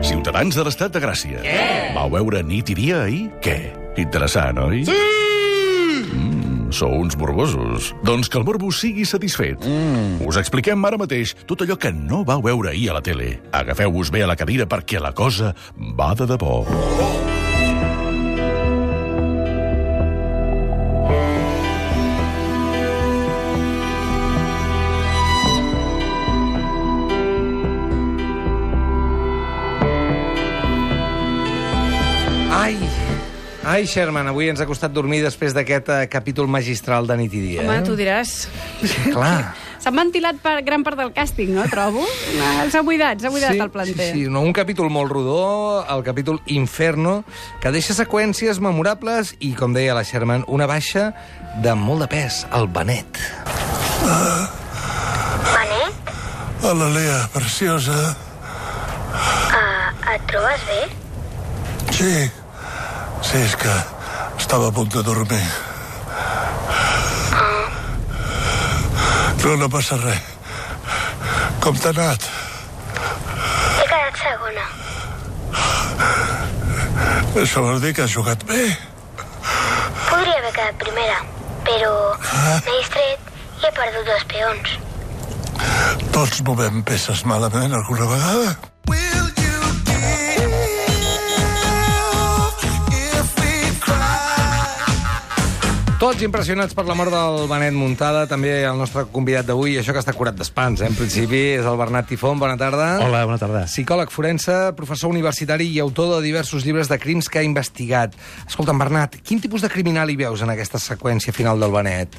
Ciutadans de l'Estat de Gràcia. Què? Vau veure Nit i Dia ahir? Què? Interessant, oi? Sí! Sou uns morbosos. Doncs que el morbo sigui satisfet. Us expliquem ara mateix tot allò que no vau veure ahir a la tele. Agafeu-vos bé a la cadira perquè la cosa va de debò. Ai, Sherman, avui ens ha costat dormir després d'aquest capítol magistral de Nit i Dia. Home, tu diràs. Clar. S'ha ventilat gran part del càsting, no, trobo? S'ha buidat el planter. Sí, un capítol molt rodó, el capítol Inferno, que deixa seqüències memorables i, com deia la Sherman, una baixa de molt de pes, el Benet. Benet? Hola, Lea, preciosa. Et trobes bé? Sí, és que estava a punt de dormir. Però no passa res. Com t'ha anat? He quedat segona. Això vol dir que has jugat bé. Podria haver quedat primera, però m'he distret i he perdut 2 peons. Tots movem peces malament alguna vegada. Tots impressionats per la mort del Benet Muntada, també el nostre convidat d'avui, això que està curat d'espants, en principi, és el Bernat Tifón. Bona tarda. Hola, bona tarda. Psicòleg forense, professor universitari i autor de diversos llibres de crims que ha investigat. Escolta'm, Bernat, quin tipus de criminal hi veus en aquesta seqüència final del Benet?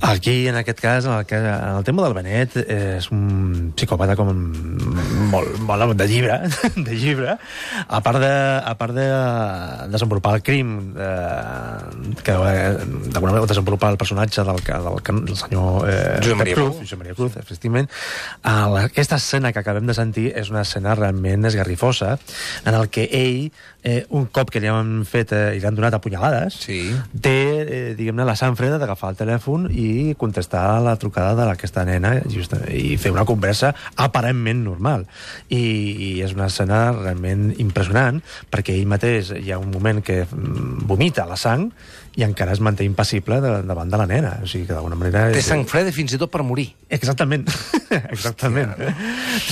Aquí, en aquest cas, en el tema del Benet, és un psicòpata com molt de llibre, de llibre. A part de desenvolupar el crim que d'alguna manera desenvolupar el personatge del senyor Josep Maria Cruz, efectivament. Aquesta escena que acabem de sentir és una escena realment esgarrifosa, en el que ell, un cop que li han fet i li han donat apunyalades, té, diguem-ne, la sang freda d'agafar el telèfon i contestar a la trucada d'aquesta nena i fer una conversa aparentment normal. I és una escena realment impressionant, perquè ell mateix hi ha un moment que vomita la sang i encara es manté impassible davant de la nena. O sigui que d'alguna manera... Té sang freda fins i tot per morir. Exactament. Exactament.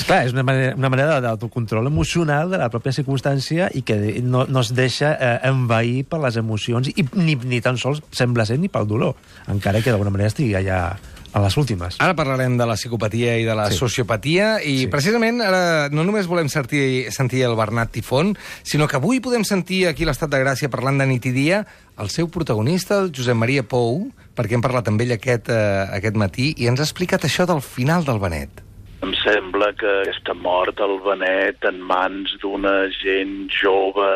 Clar, és una manera d'autocontrol emocional de la pròpia circumstància i que no es deixa envair per les emocions i ni tan sols sembla ser ni pel dolor, encara que d'alguna manera estigui allà a les últimes. Ara parlarem de la psicopatia i de la sociopatia i precisament ara no només volem sentir el Bernat Tifón, sinó que avui podem sentir aquí a l'Estat de Gràcia parlant de Nit i Dia el seu protagonista, el Josep Maria Pou, perquè hem parlat amb ell aquest matí i ens ha explicat això del final del Benet. Em sembla que aquesta mort del Benet en mans d'una gent jove,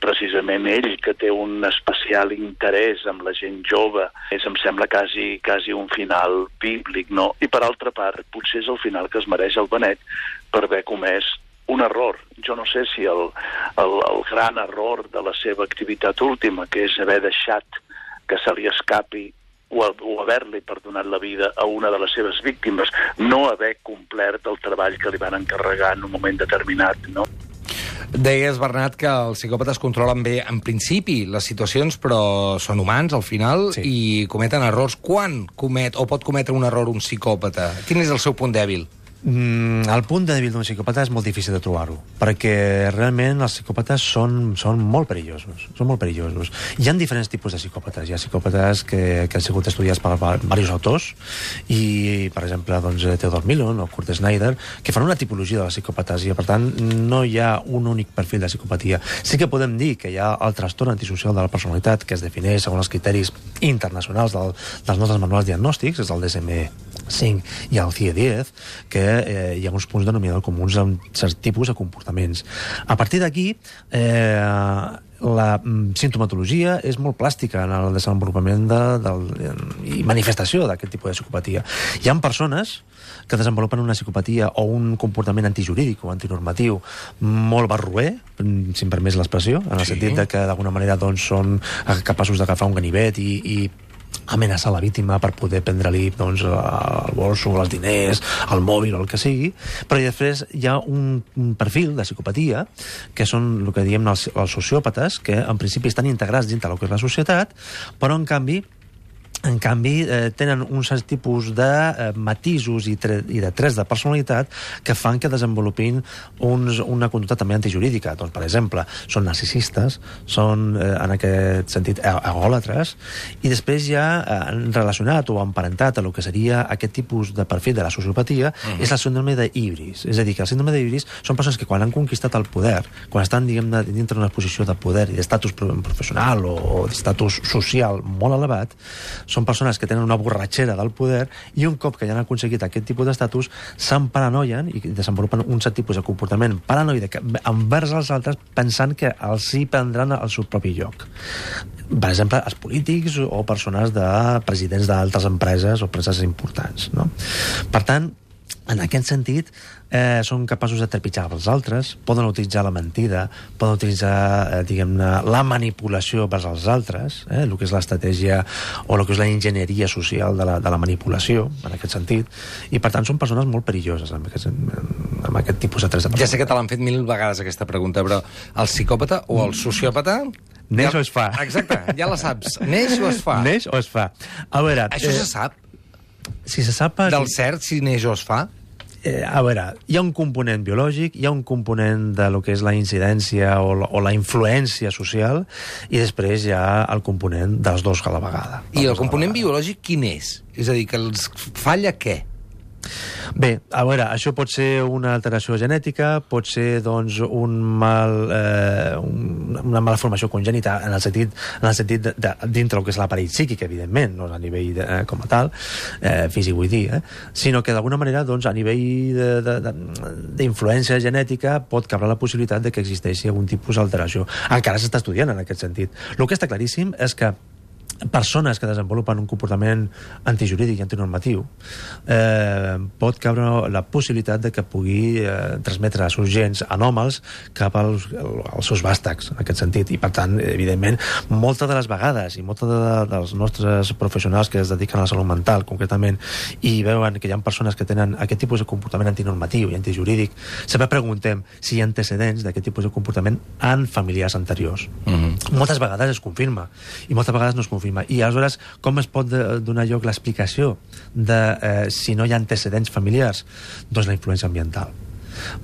precisament ell, que té un especial interès amb la gent jove, em sembla quasi un final bíblic, no? I per altra part, potser és el final que es mereix el Benet per haver comès un error. Jo no sé si el gran error de la seva activitat última, que és haver deixat que se li escapi o haver-li perdonat la vida a una de les seves víctimes, no haver complert el treball que li van encarregar en un moment determinat, no? Deies, Bernat, que els psicòpates controlen bé, en principi, les situacions, però són humans, al final, i cometen errors. Quan comet o pot cometre un error un psicòpata? Quin és el seu punt dèbil? El punt dèbil d'un psicòpata és molt difícil de trobar-ho, perquè realment els psicòpates són molt perillosos. Són molt perillosos. Hi ha diferents tipus de psicòpates. Hi ha psicòpates que han sigut estudiats per diversos autors, i, per exemple, Theodore Millon o Kurt Snyder, que fan una tipologia de les psicòpates, i, per tant, no hi ha un únic perfil de psicopatia. Sí que podem dir que hi ha el trastorn antisocial de la personalitat, que es defineix segons els criteris internacionals dels nostres manuals diagnòstics, és el DSM-5 i el CIE-10, que hi ha uns punts denominadors comuns amb certs tipus de comportaments. A partir d'aquí, la sintomatologia és molt plàstica en el desenvolupament i manifestació d'aquest tipus de psicopatia. Hi ha persones que desenvolupen una psicopatia o un comportament antijurídic o antinormatiu molt barroer, si em permès l'expressió, en el sentit que d'alguna manera són capaços d'agafar un ganivet i amenaçar la víctima per poder prendre-li doncs, el bolso, els diners, el mòbil o el que sigui, però després hi ha un perfil de psicopatia que són el que diem els sociòpates, que en principi estan integrats dintre del que és la societat, però en canvi tenen un cert tipus de matisos i de trets de personalitat que fan que desenvolupin una conducta també antijurídica. Doncs, per exemple, són narcisistes, són, en aquest sentit, egòlatres, i després ja relacionat o emparentat a el que seria aquest tipus de perfil de la sociopatia és el síndrome d'Ibris. És a dir, que el síndrome d'Ibris són persones que quan han conquistat el poder, quan estan, diguem-ne, dintre d'una posició de poder i d'estatus professional o d'estatus social molt elevat, són persones que tenen una borratxera del poder i un cop que ja han aconseguit aquest tipus d'estatus s'emparanoien i desenvolupen un cert tipus de comportament paranoide envers els altres pensant que els hi prendran el seu propi lloc. Per exemple, els polítics o persones de presidents d'altres empreses o empreses importants, no? Per tant, en aquest sentit, són capaços de trepitjar els altres, poden utilitzar la mentida, poden utilitzar, diguem-ne, la manipulació vers els altres, el que és l'estratègia o el que és la enginyeria social de la manipulació, en aquest sentit, i per tant són persones molt perilloses amb aquest tipus de trets de personalitat. Ja sé que te l'han fet 1000 vegades aquesta pregunta, però el psicòpata o el sociòpata... Neix o es fa? Exacte, ja la saps. Neix o es fa? Neix o es fa. A veure... Això se sap? Si se sap... Del cert, si neix o es fa? A veure, hi ha un component biològic, hi ha un component de lo que és la incidència o la influència social, i després hi ha el component dels dos a la vegada. I el component biològic quin és? És a dir, que els falla què? Bé, a veure, això pot ser una alteració genètica, pot ser, doncs, una malformació congènita en el sentit de dintre el que és l'aparell psíquic, evidentment, no a nivell com a tal, físic vull dir, sinó que d'alguna manera, doncs, a nivell d'influència genètica pot cabre la possibilitat de que existeixi algun tipus d'alteració. Encara s'està estudiant en aquest sentit. El que està claríssim és que persones que desenvolupen un comportament antijurídic i antinormatiu pot cabre la possibilitat de que pugui transmetre els seus gens anòmals cap als seus vàstags, en aquest sentit. I, per tant, evidentment, moltes de les vegades i molts dels nostres professionals que es dediquen a la salut mental, concretament, i veuen que hi ha persones que tenen aquest tipus de comportament antinormatiu i antijurídic, sempre preguntem si hi ha antecedents d'aquest tipus de comportament en familiars anteriors. Moltes vegades es confirma i moltes vegades no es confirma. I aleshores, com es pot donar lloc l'explicació de si no hi ha antecedents familiars? Doncs la influència ambiental.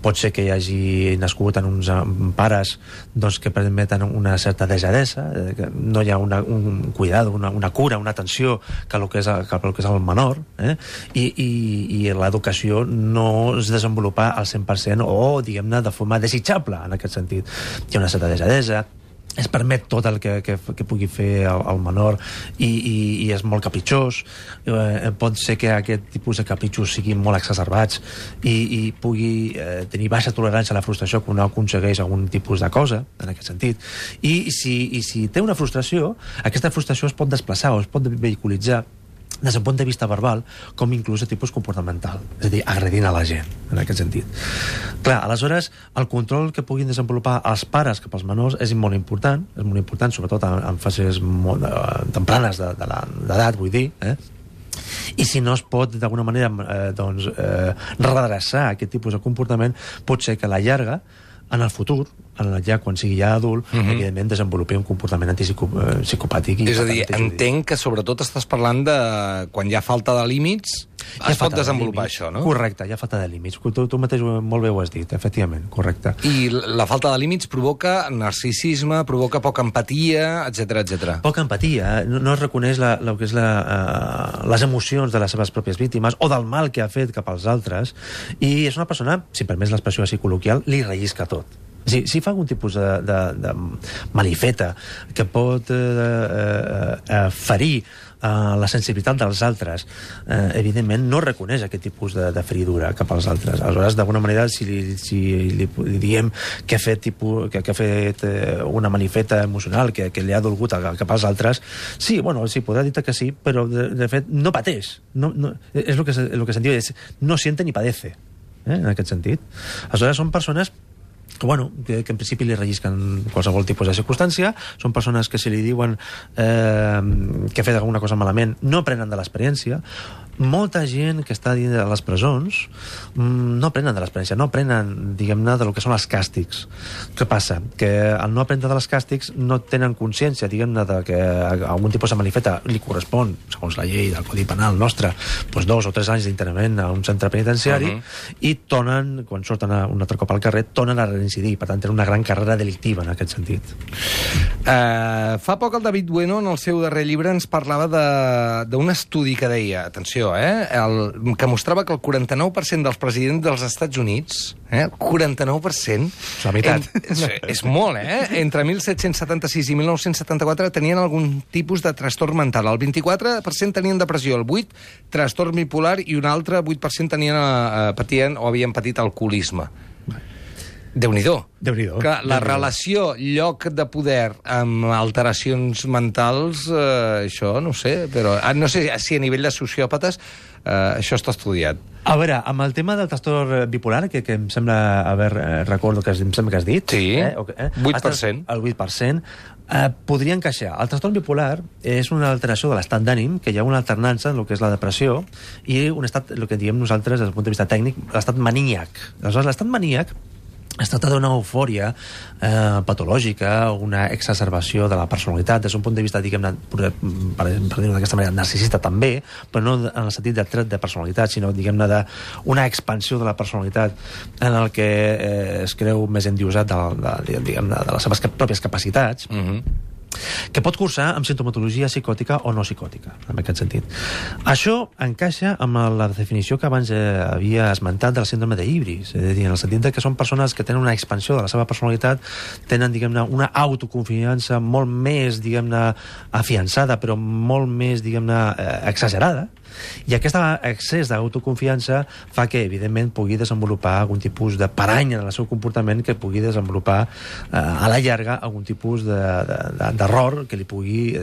Pot ser que hi hagi nascut en uns pares doncs, que permeten una certa desadesa, que no hi ha un cuidado, una cura, una atenció cap al que és el menor, i l'educació no es desenvolupa al 100% o, diguem-ne, de forma desitjable, en aquest sentit. Hi ha una certa desadesa, es permet tot el que pugui fer el menor i és molt capritxós. Pot ser que aquest tipus de capritxos siguin molt exacerbats i pugui tenir baixa tolerància a la frustració quan no aconsegueix algun tipus de cosa, en aquest sentit. I si té una frustració, aquesta frustració es pot desplaçar o es pot vehiculitzar des d'un punt de vista verbal, com inclús de tipus comportamental, és a dir, agredint a la gent, en aquest sentit. Clar, aleshores, el control que puguin desenvolupar els pares cap als menors és molt important, sobretot en fases molt tempranes d'edat, vull dir, i si no es pot d'alguna manera redreçar aquest tipus de comportament, pot ser que a la llarga, en el futur, ja quan sigui ja adult, evidentment desenvolupi un comportament psicopàtic. És a dir, entenc que sobretot estàs parlant de quan hi ha falta de límits, es pot desenvolupar això, no? Correcte, hi ha falta de límits. Tu mateix molt bé ho has dit, efectivament, correcte. I la falta de límits provoca narcisisme, provoca poca empatia, etc. Poca empatia, no es reconeix el que és les emocions de les seves pròpies víctimes o del mal que ha fet cap als altres, i és una persona, si permès l'expressió així col·loquial, li rellisca tot. Si fa algun tipus de malifeta que pot ferir la sensibilitat dels altres, evidentment no reconeix aquest tipus de feridura cap als altres. Aleshores, d'alguna manera, si li diem que ha fet una malifeta emocional, que li ha dolgut cap als altres, sí, podrà dir que sí, però de fet no pateix. És el que se'n diu, no siente ni padece, en aquest sentit. Aleshores, són persones que en principi li rellisquen qualsevol tipus de circumstància. Són persones que, si li diuen que ha fet alguna cosa malament, no aprenen de l'experiència. Molta gent que està dins de les presons no aprenen de l'experiència, no aprenen, diguem-ne, del que són els càstigs. Què passa? Que al no aprendre de les càstigs no tenen consciència, diguem-ne, de que algun tipus de malifeta li correspon, segons la llei del Codi Penal nostre, 2 o 3 anys d'internament a un centre penitenciari, i tornen, quan surten un altre cop al carrer, tornen a reincidir. Per tant, tenen una gran carrera delictiva en aquest sentit. Fa poc el David Bueno, en el seu darrer llibre, ens parlava d'un estudi que deia, atenció, que mostrava que el 49% dels presidents dels Estats Units, el 49%... La meitat. És molt, entre 1776 i 1974 tenien algun tipus de trastorn mental. El 24% tenien depressió, el 8% trastorn bipolar i un altre 8% patien o havien patit alcoholisme. Déu-n'hi-do. Que la relació lloc de poder amb alteracions mentals, això no sé, però no sé si a nivell de sociòpates això està estudiat. A veure, amb el tema del trastorn bipolar, que em sembla recordo que em sembla que has dit... Sí, 8%. El 8%, podria encaixar. El trastorn bipolar és una alteració de l'estat d'ànim, que hi ha una alternança en el que és la depressió, i un estat, el que diem nosaltres, des del punt de vista tècnic, l'estat maníac. Aleshores, l'estat maníac es tracta d'una eufòria patològica, una exacerbació de la personalitat, des d'un punt de vista, diguem-ne, per dir-ho d'aquesta manera, narcisista també, però no en el sentit de tret de personalitat, sinó, diguem-ne, d'una expansió de la personalitat en el que es creu més endiosat de les seves pròpies capacitats, que pot cursar amb sintomatologia psicòtica o no psicòtica, en aquest sentit. Això encaixa amb la definició que abans havia esmentat de la síndrome d'Ibris, és a dir, en el sentit que són persones que tenen una expansió de la seva personalitat, tenen, diguem-ne, una autoconfiança molt més, diguem-ne, afiançada, però molt més, diguem-ne, exagerada, i aquest excés d'autoconfiança fa que, evidentment, pugui desenvolupar algun tipus de parany en el seu comportament, que pugui desenvolupar a la llarga algun tipus d'error que li pugui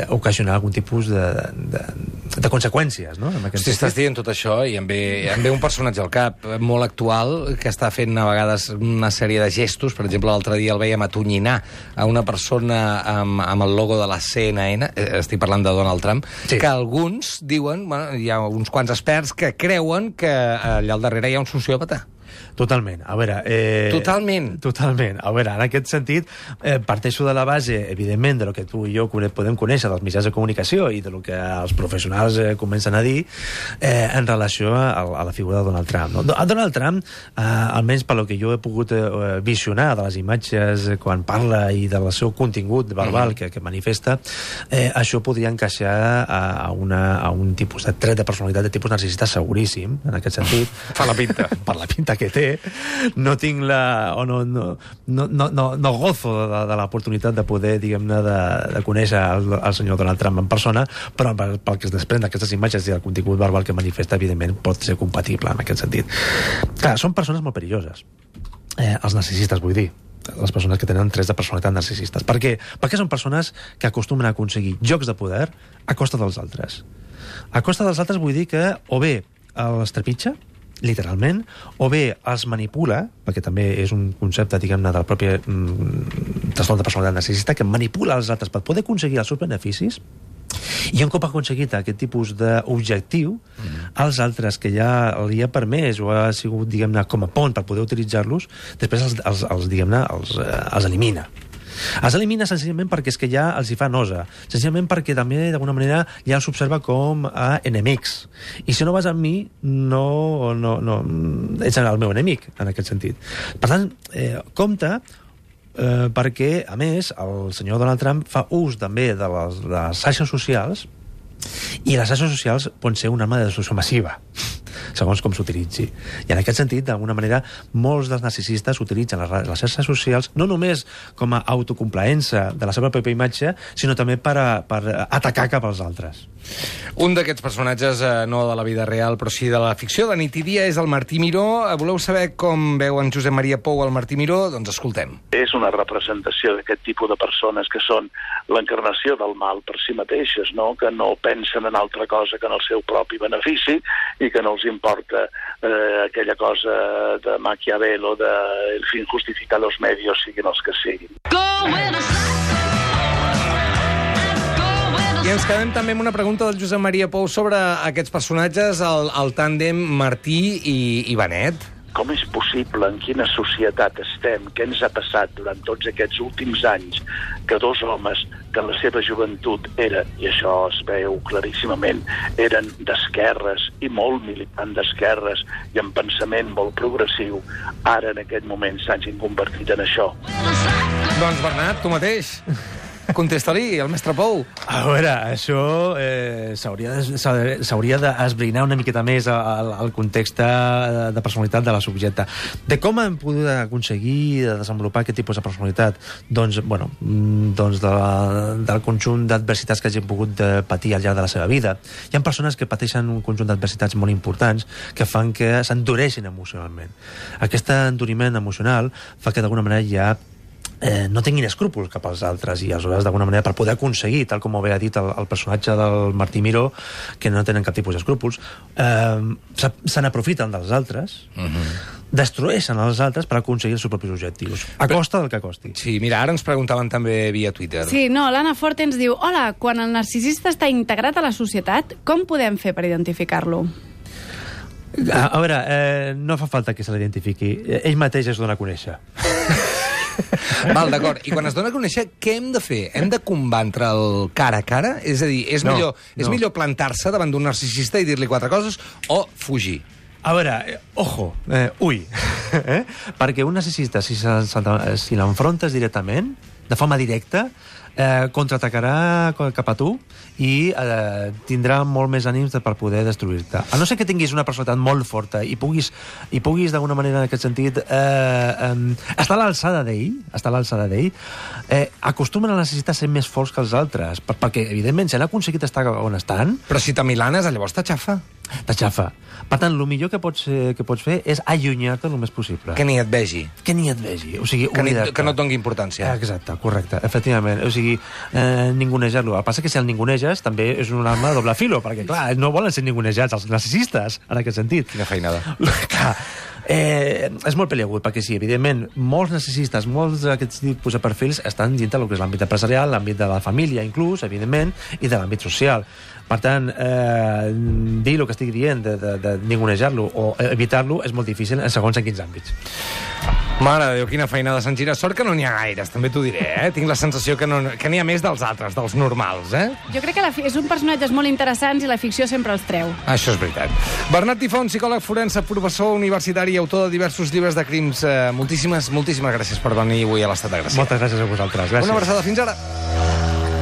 ocasionar algun tipus de conseqüències, no? Si estàs dient tot això, i em ve un personatge al cap molt actual que està fent a vegades una sèrie de gestos. Per exemple, l'altre dia el veiem atonyinar a una persona amb el logo de la CNN, estic parlant de Donald Trump, que alguns diuen, hi ha uns quants experts que creuen que allà al darrere hi ha un sociòpata. Totalment. A veure... Totalment. A veure, en aquest sentit, parteixo de la base, evidentment, de lo que tu i jo podem conèixer dels mitjans de comunicació i de lo que els professionals comencen a dir en relació a la figura de Donald Trump. No? A Donald Trump, almenys per lo que jo he pogut visionar de les imatges quan parla i del seu contingut verbal que manifesta, això podria encaixar a un tipus de tret de personalitat de tipus narcisista seguríssim, en aquest sentit. Fa la pinta. Per la pinta que té, no tinc no gozo de l'oportunitat de poder, diguem-ne, de conèixer el senyor Donald Trump en persona, però pel que es desprèn d'aquestes imatges i el contingut verbal que manifesta, evidentment, pot ser compatible en aquest sentit. Clar, són persones molt perilloses. Els narcisistes, vull dir. Les persones que tenen trets de personalitat narcisistes. Per què? Perquè són persones que acostumen a aconseguir jocs de poder a costa dels altres. A costa dels altres vull dir que o bé els trepitja, literalment, o bé els manipula, perquè també és un concepte, diguem-ne, del propi trastorn de personalitat narcisista, que manipula els altres per poder aconseguir els seus beneficis, i un cop ha aconseguit aquest tipus d'objectiu, els altres que ja li ha permès o ha sigut, diguem-ne, com a pont per poder utilitzar-los, després els elimina. Els elimina senzillament perquè és que ja els hi fa nosa, senzillament perquè també d'alguna manera ja els observa com a enemics, i si no vas amb mi no ets el meu enemic en aquest sentit. Per tant, compte, perquè a més el senyor Donald Trump fa ús també de les xarxes socials, i les xarxes socials poden ser una arma de destrucció massiva, segons com s'utilitzi. I en aquest sentit, d'alguna manera, molts dels narcisistes utilitzen les xarxes socials no només com a autocomplaença de la seva pròpia imatge, sinó també per atacar cap als altres. Un d'aquests personatges, no de la vida real, però sí de la ficció, de nit i dia, és el Martí Miró. Voleu saber com veu en Josep Maria Pou el Martí Miró? Doncs escoltem. És una representació d'aquest tipus de persones que són l'encarnació del mal per si mateixes, no? Que no pensen en altra cosa que en el seu propi benefici i que no els importa aquella cosa de Maquiavel o de el fin justifica los medios, siguin els que siguin. I ens quedem també amb una pregunta del Josep Maria Pou sobre aquests personatges, el tàndem Martí i Benet. Com és possible, en quina societat estem, què ens ha passat durant tots aquests últims anys, que dos homes que en la seva joventut eren, i això es veu claríssimament, eren d'esquerres i molt militant d'esquerres i amb pensament molt progressiu, ara en aquest moment s'hagin convertit en això. Doncs Bernat, tu mateix. Contesta-li, el mestre Pou. A veure, això s'hauria d'esbrinar una miqueta més al context de personalitat de la subjecte. De com hem pogut aconseguir desenvolupar aquest tipus de personalitat? Doncs, bueno, del conjunt d'adversitats que hagin pogut patir al llarg de la seva vida. Hi ha persones que pateixen un conjunt d'adversitats molt importants que fan que s'endureixin emocionalment. Aquest enduriment emocional fa que d'alguna manera ja no tinguin escrúpols cap als altres i aleshores d'alguna manera per poder aconseguir, tal com ho havia dit el personatge del Martí Miró, que no tenen cap tipus d'escrúpols, se n'aprofiten dels altres, destrueixen els altres per aconseguir els seus propis objectius, a costa del que costi. Sí, mira, ara ens preguntaven també via Twitter. Sí, no, l'Anna Forte ens diu: hola, quan el narcisista està integrat a la societat, com podem fer per identificar-lo? A veure, no fa falta que se l'identifiqui. Ell mateix es dona a conèixer. Val, d'acord. I quan es dona a conèixer, què hem de fer? Hem de combatre el cara a cara? És a dir, és millor plantar-se davant d'un narcisista i dir-li quatre coses o fugir? A veure, ojo, ui, perquè un narcisista, si l'enfrontes directament, de forma directa, contraatacarà cap a tu i tindrà molt més ànims per poder destruir-te. A no ser que tinguis una personalitat molt forta i puguis d'alguna manera en aquest sentit estar a l'alçada d'ell, acostumen a necessitar ser més forts que els altres, perquè evidentment si han aconseguit estar on estan... Però si t'amilanes, llavors t'aixafa. T'aixafa. Per tant, el millor que pots fer és allunyar-te el més possible. Que ni et vegi. Que ni et vegi. O sigui, que no et doni importància. Exacte, correcte, efectivament. O sigui, ningunejar-lo. El que passa que si el ninguneges també és una arma de doble filo, perquè, clar, no volen ser ningunejats els narcisistes, en aquest sentit. Quina feinada. Clar, és molt peliagut, perquè sí, evidentment, molts narcisistes, molts d'aquests tipus de perfils estan dintre del que és l'àmbit empresarial, l'àmbit de la família, inclús, evidentment, i de l'àmbit social. Per tant, dir el que estic dient, de ningunejar-lo o evitar-lo, és molt difícil en segons en quins àmbits. Mare de Déu, quina feinada, Sant Gira. Sort que no n'hi ha gaires, també t'ho diré, eh? Tinc la sensació que n'hi ha més dels altres, dels normals, eh? Jo crec que és un personatges molt interessants i la ficció sempre els treu. Això és veritat. Bernat Tifon, psicòleg forense, professor universitari i autor de diversos llibres de crims. Moltíssimes gràcies per venir avui a l'Estat de Gràcia. Moltes gràcies a vosaltres. Gràcies. Una abraçada. Fins ara.